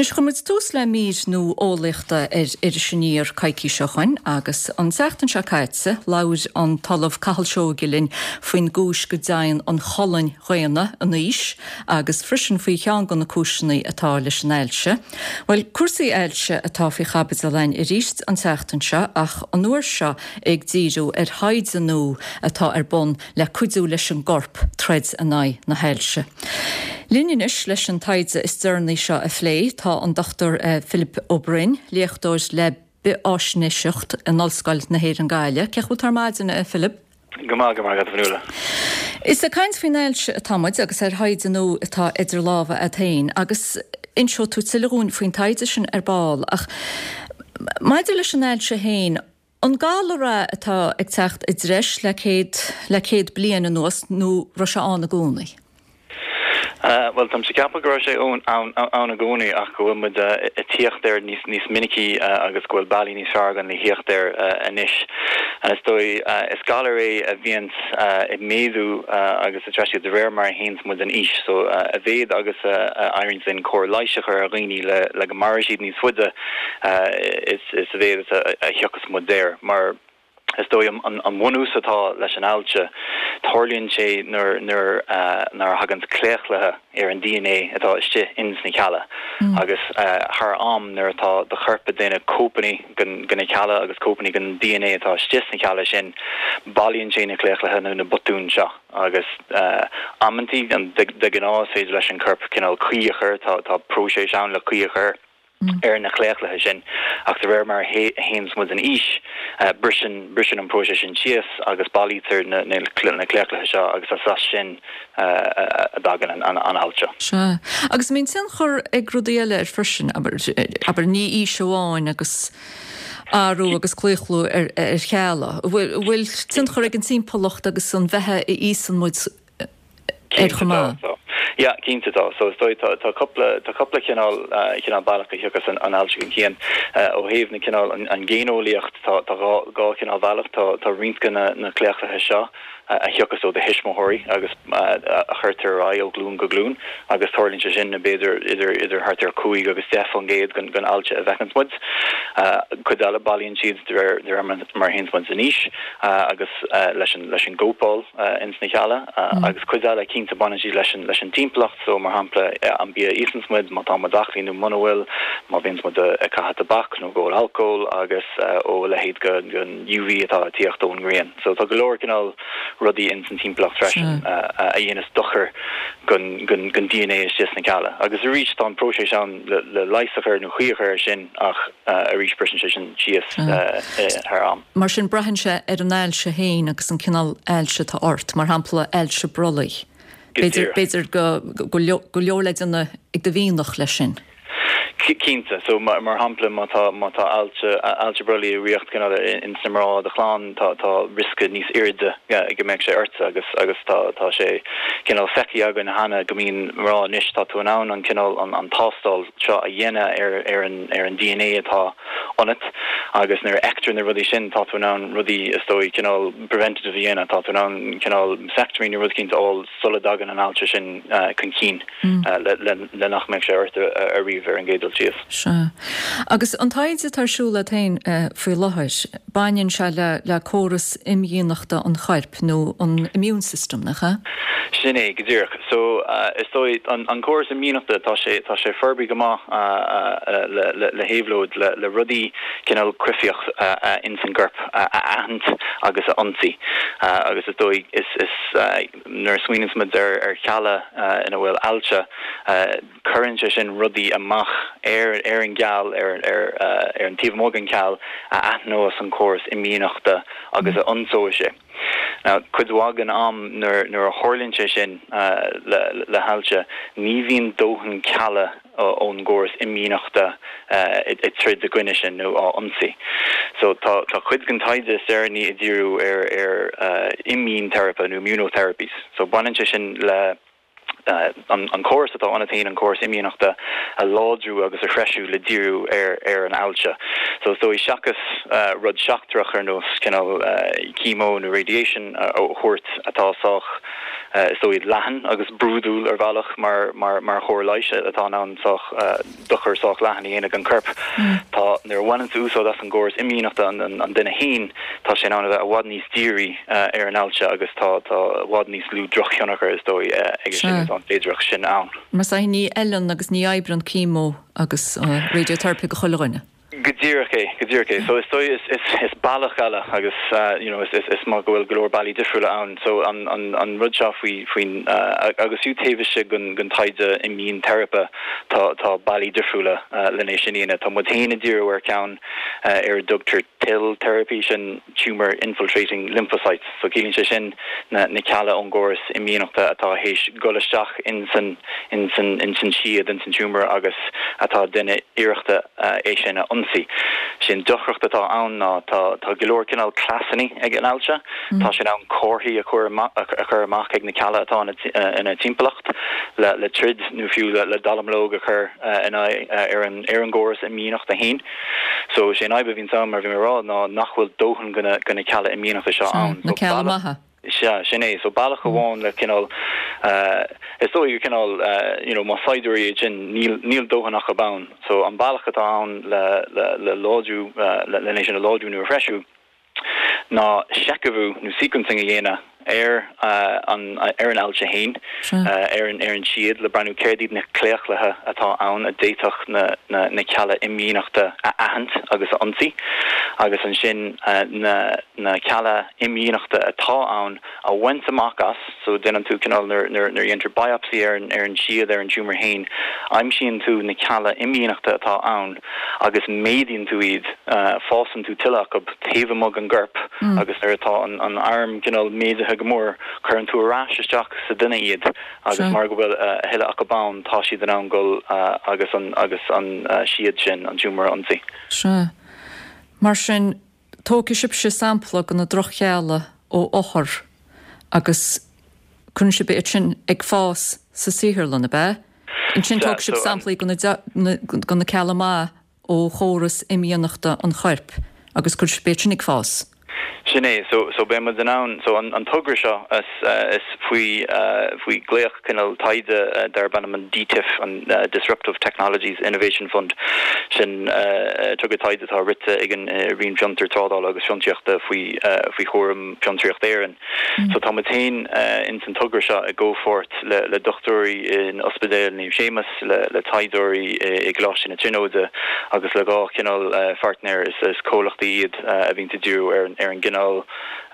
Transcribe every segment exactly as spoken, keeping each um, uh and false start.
Anois chuir muid tús le mír nua eolaíochta ar Iris Aniar coicís ó shin agus an tseachtain seo caite labhair an tOllamh Cathal Seoighe linn faoin gcúis go dtéann an cholainn dhaonna in aois agus freisin faoi cheann de na cúiseanna atá leis an ailse. Bhuel cúrsaí ailse atá faoi chaibidil againn arís an tseachtain seo ach an uair seo ag díriú ar thaighde nua atá ar bun le cuidiú leis an gcorp troid in aghaidh na hailse. Linn anois leis an taighde is deireanaí seo a phlé tá an Dr Philip Ó Broin, léachtóir le bithfháisnéiseacht in Ollscoil na hÉireann Gaillimh. Cén chaoi a bhfuil tú ar maidin a Philip? Go maith go maith Fionnuala. Is ag caint faoin ailse atá muid agus ar thaighde nua atá idir lámha agat féin agus inseoidh tú tuilleadh dúinn faoin taighde sin ar ball ach maidir leis an ailse féin, An galar é atá ag teacht i dtreis le céad le céad bliain anuas nó raibh sé ann i gcónaí. Uh, well táim ag ceapadh go raibh sé ann i gcónaí ach go bhfuil muid uh, ag tíocht air níos níos minicí uh, agus go bhfuil bealaí níos fearr againn le thíocht air uh, anois. An is dóigh uh, is galar é a bhíonn uh, ag méadú uh, agus a treisiú de réir mar a théanns muid in aois, so uh, a mhéad agus uh, éiríonn sin cóir leighis a chur ar dhaoine le le go mairfidh siad níos faide uh, is is a mhéad a, a thiocfas muid air mar is dóigh an, an bunús atá leis an ailse tarlaíonn sé nuair nuair uh, nuair a thagann claochluithe ar an DNA atá istigh ins na cealla mm. agus uh, thar am nuair atá do chorp ag déanamh cóipeanna den den na cealla agus cóipeanna den DNA atá istigh sna cealla sin bailíonn sé na claochluithe nó na botúin seo agus uh, amantaí an de, de ghnáth féidir leis an corp cineál caoi a chur tá tá próiseas ann le caoi a chur ar na claochluithe sin ach de réir mar a théanns muid in aois uh, briseann briseann an próiseas sin síos agus bailítear na, na, na claochluithe seo agus as sin uh, a dtagann an, an, an ailse. Sea. Agus mbíonn tionchar ag rudaí eile ar freisin abair ní aois amháin agus athrú agus claochlú ar, ar chealla. Bhfuil tionchar ag an timpeallacht agus an bheatha a íosann muid ar chomh maith. Ja, cinnte tá so dóigh tá tá cúpla tá cúpla cineál uh, cineál bealach a thiocfas an an ailse chun cinn uh, ó thaobh na cineál an, an géineolaíocht tá tá dhá cineál bealach tá tá roinnt de na na claochluithe seo uh, a thiocfas ó do thuismitheoirí agus uh, a chuirtear ar aghaidh ó ghlúin go glúin agus tarlaíonn sé sin na b'fhéidir idir idir thart ar cúig agus deich faoin gcéad den den ailse a bhfeiceann muid. Uh, cuid eile bailíonn siad de réir mar a théanns muid in aois uh, agus uh, leis an leis an gcóipeáil uh, ins na cealla uh, mm. agus cuid eile cinnte baineann siad leis an leis an timpeallacht so mar shampla an bia a íosann muid má tá muid aclaí nó muna bhfuil má bhíonn muid ag caitheamh tobac nó ag ól alcól agus uh, ó leithéid den den UV atá ag tíocht ón ngrian. So tá go leor cineál rudaí ins an timpeallacht freisin uh, a dhéanas dochar den den den DNA istigh sna cealla. Agus arís tá an próiseas ann le, le leigheas a chur nó caoi a chur sin ach uh, arís briseann sé sin síos uh, thar am. Mar sin braitheann sé ar an ailse féin agus an cineál ailse atá ort, mar shampla ailse brollaigh. B'fhéidir go go leor le déanamh ag do mhianach leis sin. Cinnte so mar mar shampla má tá má tá ailse ailse brollaigh i riocht cineál in sa mná do chlann tá tá riosca níos airde go mbeidh sé ort agus agus tá tá sé cineál feicthe againn cheana go mbíonn mná anois tá tú in ann an cineál an an tástáil seo a dhéanamh ar ar an ar an DNA atá ionat agus nuair a fheictear na rudaí sin tá tú in ann rudaí is dóigh cineál preventative a dhéanamh tá tú in ann cineál mastectomy nó rud éicint a fháil sula dtagann an ailse sin uh, chun cinn mm. uh, le, le, le nach mbeidh sé ort ariamh ar an gcéad dul síos. Sea. Agus an taighde atá ar siúl agat féin uh, faoi láthair, baineann sé le le córas imdhíonachta an choirp nó an immune system nach ea? Sin é go díreach. So uh, is dóigh an, an córas imdhíonachta tá sé tá sé forbartha go maith uh, uh, le, le, le héabhlóid le, le rudaí cineál coimhthíoch uh, uh, ins an gcorp uh, a aithint agus a ionsaí. Uh, agus is dóigh is, is uh, nuair a smaoiníonn muid ar ar chealla uh, ina bhfuil ailse uh, cuireann sé sin rudaí amach ar ar an gceall ar ar uh, ar an taobh amuigh den cheall a aithneos an córas imdhíonachta agus a ionsóidh sé. Now cuid mhaith den am nuair nuair a tharlaíonn sé sin uh, le, le hailse ní bhíonn dóthain cealla ón gcóras imdhíonachta uh, ag troid i gcoinne sin nó á ionsaí. So tá tá cuid den taighde is deireanaí ag díriú ar ar uh, immunotherapies nó immunotherapies. So baineann sé sin le Uh, an, an córas atá ionat féin an córas imdhíonachta a láidriú agus a threisiú le díriú ar ar an ailse. So so seachas uh, rud seachtrach ar nós cineál uh, chemo nó radiation uh, ó thabhairt atá sách is dóigh leathan agus brúidiúil ar bhealach mar mar mar chóir leighis atá in ann sách dochar sách leathan a dhéanamh don chorp. Tá nuair a bhaineann tú úsáid as an gcóras imdhíonachta an an an duine féin, tá sé in ann a bheith i bhfad níos dírí ar an ailse agus tá tá i bhfad níos lú drochthionchar is dóigh aige sin tá an féidearthacht sin ann. Mar sin ní fheileann agus ní oibríonn chemo agus radiotherapy do chuile dhuine. Go díreach é, go díreach é. So is dóigh is is is bealach eile agus uh, you know, is, is, is maith go bhfuil go leor bealaí difriúla ann. So an, an, an rud seo faoi faoin uh, agus fiú taobh istigh den den taighde imdhíonteiripe tá tá bealaí difriúla uh, lena sin ina tá muid féin ag díriú ar ceann uh, ar a dtugtar TIL therapy sin tumor infiltrating lymphocytes. So ciallaíonn sé sin na, na cealla ón gcóras imdhíonachta atá théis dul isteach in san in san in san siad in san tumor agus atá ag déanamh iarrachta uh, é sin a ionsaí. Sin deacracht atá ann ná tá tá go leor cineál cleasanna ag an ailse, mm. Tá sin ann comharthaí a chur a chur amach ag na cealla atá ina timpeallacht le le troid nó fiú le, le dallamullóg a chur uh, in uh, ar an ar an gcóras imdhíonachta féin. So sé fadhb a bhíonn ann mar bhí mé rá ná nach bhfuil dóthain de na de na cealla imdhíonachta seo ann. Na cealla maithe. Sea sin é so bealach amháin le cineál uh, is dóigh cineál uh, you know, má saighdiúirí sin níl níl dóthain acu ann so an bealach atá ann le le le láidriú uh, le le sin a láidriú nó a threisiú ná seicheamhú nó sequencing a dhéanamh ar uh, an ar an ailse féin uh, ar an ar an siad le breathnú céard iad na claochluithe atá ann a d'fhéadfadh na, na, na cealla imdhíonachta a aithint agus a ionsaí agus ansin uh, na, na cealla imdhíonachta atá ann a bhaint amach as so déanann tú cineál nuair nuair dhéantar biopsy ar an ar an siad ar an tumor féin aimsíonn tú na cealla imdhíonachta atá ann agus méadaíonn tú iad uh, fásann tú tuilleadh acu taobh amuigh den gcorp mm. agus nuair atá an, an arm cineál méadaithe go mór cuireann tú ar ais isteach sa duine iad agus mar go bhfuil uh, a thuilleadh acu ann tá siad in ann dul uh, agus an agus an uh, siad sin an tumor a ionsaí. Sea. Mar sin tógfaidh sibhse sampla de na droch-chealla ó othar agus cuireann sibh iad sin ag fás sa saotharlann ab ea? Ansin tóg sibh samplaí de na cealla maithe ó chóras imdhíonachta an choirp agus cuireann sibh iad sin ag fás. Sin é so so beidh muid in ann so an, an togra seo is, uh, is faoi uh, faoi glaoch cineál taighde uh, darb ainm an DTIF an uh, Disruptive Technologies Innovation Fund sin uh, togra taighde atá rite ag an uh, Roinn Fiontar Trádála agus Fiontraíochta faoi uh, faoi chúram Fiontraíocht Éireann. Mm. So tá muid féin uh, in san togra seo i gcomhpháirt le, le dochtúirí in Ospidéal Naomh Séamus le, le taighdeoirí i gColáiste na Tríonóide agus le dhá chineál uh, partner is, is comhlachtaí iad uh, a bhíonn ag díriú ar, ar an gcineál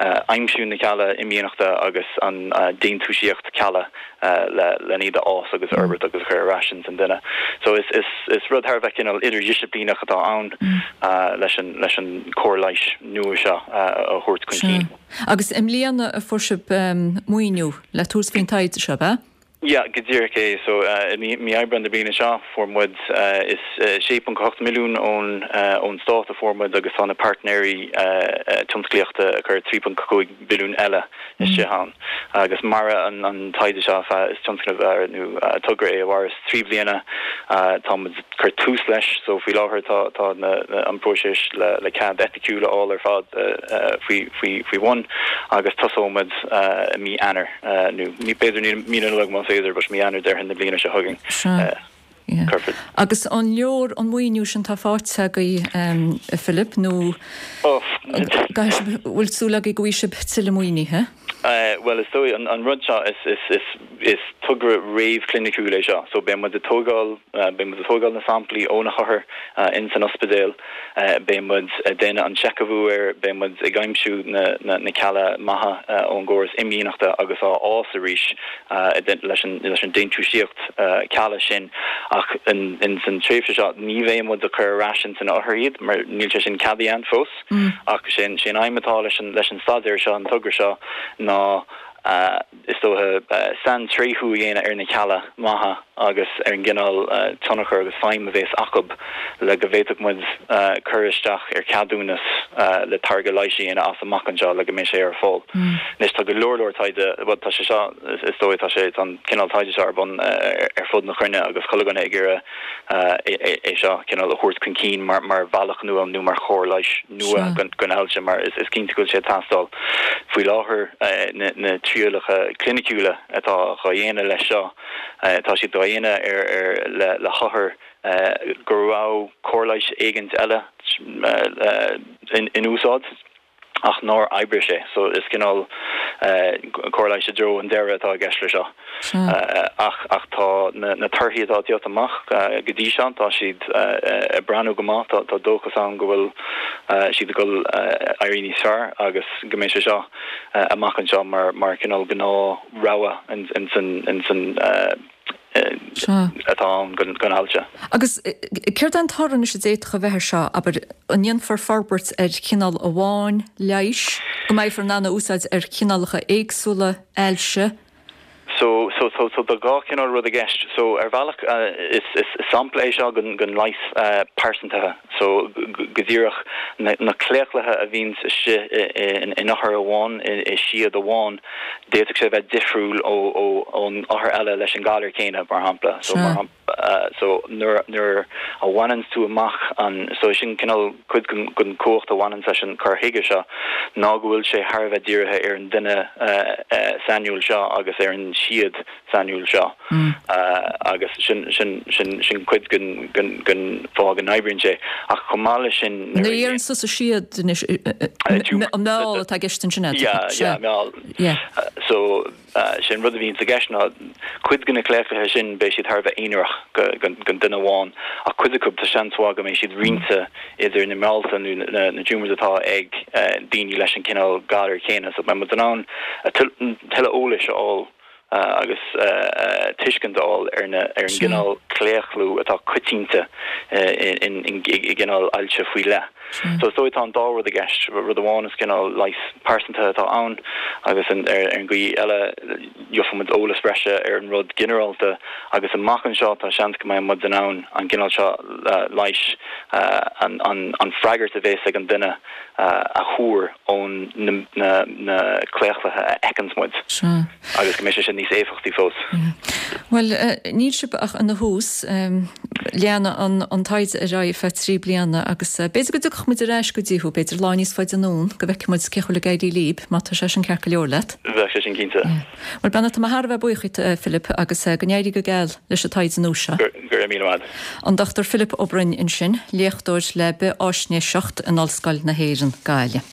uh, aimsiú na cealla imdhíonachta agus an uh, déantúsaíocht cealla uh, le le iad a fhás agus fhorbairt agus chur ar ais san duine. So is is is rud thar a bheith cineál idirdhisciplíneach atá ann mm. uh, leis an leis an cóir leighis nua seo uh, a thabhairt chun cinn. Agus i mbliana a fuair sibh um, maoiniú le tús faoin taighde seo ab ea? Ja, go díreach é so uh, mí mí Aibreán na bliana seo fuair muid uh, is uh, sé ponc ocht milliún ón uh, ón stát a fuair muid agus tá na partnerií uh, uh, tionsclaíochta a chuir trí ponc cúig milliún eile isteach ann. Agus mar an an taighde seo is tionscnamh uh, nó uh, togra é a mhaireas trí bliana uh, tá cur tús leis so faoi láthair tá tá na, na, an próiseas le le cead eiticiúil á ar fad uh, uh, faoi faoi faoi bhun agus tosóimid uh, mí Eanáir uh, nó ní b'fhéidir mí na Nollag más féidir bus mí Eanáir déarfainn na bliana seo chugainn. Yeah. Agus an leor an maoiniú sin atá faighte agaibh um, Philip nó bhfuil súil agaibh go bhfaighidh sibh tuilleadh maoinithe? Uh, well is dóigh an, an rud seo is, is, is, is togra réamhchliniciúil é seo, so beidh muid ag tógáil uh, beidh muid ag tógáil na samplaí ó na hothair uh, in san ospidéal uh, beidh muid ag déanamh an seicheamhú air beidh muid ag aimsiú na, na, na cealla maithe uh, ón gcóras imdhíonachta agus á fhás arís uh, leis an, leis an déantúsaíocht uh, cealla sin ach in, in san tréimhse seo ní bheidh muid ag cur ar ais san othar iad mar níl sé sin ceadaithe fós mm. ach sin sin aidhm atá leis an leis an staidéar seo an togra seo ná uh, is dócha uh, saintréithiú a dhéanamh ar na cealla maithe agus ar an gcineál uh, tionchar agus feidhm a bheas acu le go bhféadfadh muid uh, cur isteach ar ceadúnas uh, le táirge leighis a dhéanamh as amach anseo le go mbeidh sé ar fáil. Mm. Anois tá go leor leor taighde tá sé seo is dóigh tá sé an cineál taighde seo ar bun uh, ar fud na cruinne agus chuile dhuine ag iarraidh uh, é, é, é seo cineál a thabhairt chun cinn mar mar bhealach nua nó mar chóir leighis nua don ailse mar is, is cinnte go bhfuil sé ag teastáil. Faoi láthair uh, na, na trí trialacha cliniciúla atá á dhéanamh leis seo, tá siad á dhéanamh ar ar le le hothair go raibh cóir leighis éigint eile in in úsáid ach nár oibrigh sé. So is cineál cóir leighis i dtreo an deireadh atá i gceist leis seo. Ach ach tá na na torthaí atá ag teacht amach go dtí seo, tá siad ag breathnú go maith, tá tá dóchas ann go bhfuil siad ag dul éirí níos fearr agus go mbeidh sé seo amach anseo mar mar cineál gnáth-rogha in in san in san atá ann don ailse. Agus céard é an toradh anois a d'fhéadfadh a bheith air seo, abair, an ndéanfar forbairt ar chineál amháin leighis, go mbeifear in ann a úsáid ar chineálacha éagsúla ailse? So, so, so, so tá dhá chineál rud i gceist. So ar bhealach is, is sampla é seo den, den leigheas pearsantaithe. So go díreach na, na claochlaithe a bhíonns istigh in, in othar amháin, i siad amháin, d'fhéadfadh sé bheith difriúil ó, ó, ón othar eile leis an galar céanna, mar shampla. So, mar shampla, so nuair, nuair a bhaineanns tú amach an, so sin cineál cuid den, den chumhacht a bhaineanns leis an cur chuige seo, ná go bhfuil sé thar a bheith dírithe ar an duine sainiúil seo agus ar an siad sainiúil seo. Agus sin, sin, sin, sin cuid den, den, den fáth go n-oibríonn sé. Ach chomh maith leis sin, Nuair a deireann tusa siad anois, an meall atá i gceist ansin, Yeah, yeah, meall. Yeah. So sin rud a bhíonn i gceist ná cuid de na claochlaithe sin beidh siad thar a bheith aonarach don duine amháin ach cuid acu tá seans mhaith go mbeidh siad roinnte idir na meallta nó na, na tumors atá ag daoine leis an cineál galar céanna. So beidh muid in ann tuilleadh eolais a fháil agus tuiscint a fháil ar na ar an gcineál claochlú atá coitianta i gcineál ailse faoi leith. So is dóigh tá an dá rud i gceist, rud amháin is cineál leigheas pearsantaithe atá ann agus an, ar, ar an gcaoi eile gheobhaidh muid eolas breise ar an rud ginearálta agus amach anseo tá seans go mbeidh muid in ann an cineál seo leighis an, an, an freagairt a bheas ag an duine a thuar ón na, na, na claochlaithe a fheiceanns muid agus go mbeidh sé sin níos éifeachtaí fós. Well, níl sibh ach ina thús leanfaidh an, an taighde ar aghaidh feadh trí bliana agus b'fhéidir go dtiocfadh muid ar ais go dtí thú, b'fhéidir lá níos faide anonn go bhfeicfidh muid cén chaoi a bhfuil ag éirí libh, má tá sé sin ceart go leor leat. Bheadh sé sin cinnte. Well beannacht, tá mé thar a bheith buíoch díot, Philip, agus go n-éirí go geal leis an taighde nua seo. Go raibh míle maith. An Dochtúir Philip Ó Broin ansin, léachtóir le bithfháisnéiseacht in Ollscoil na hÉireann, Gaillimh.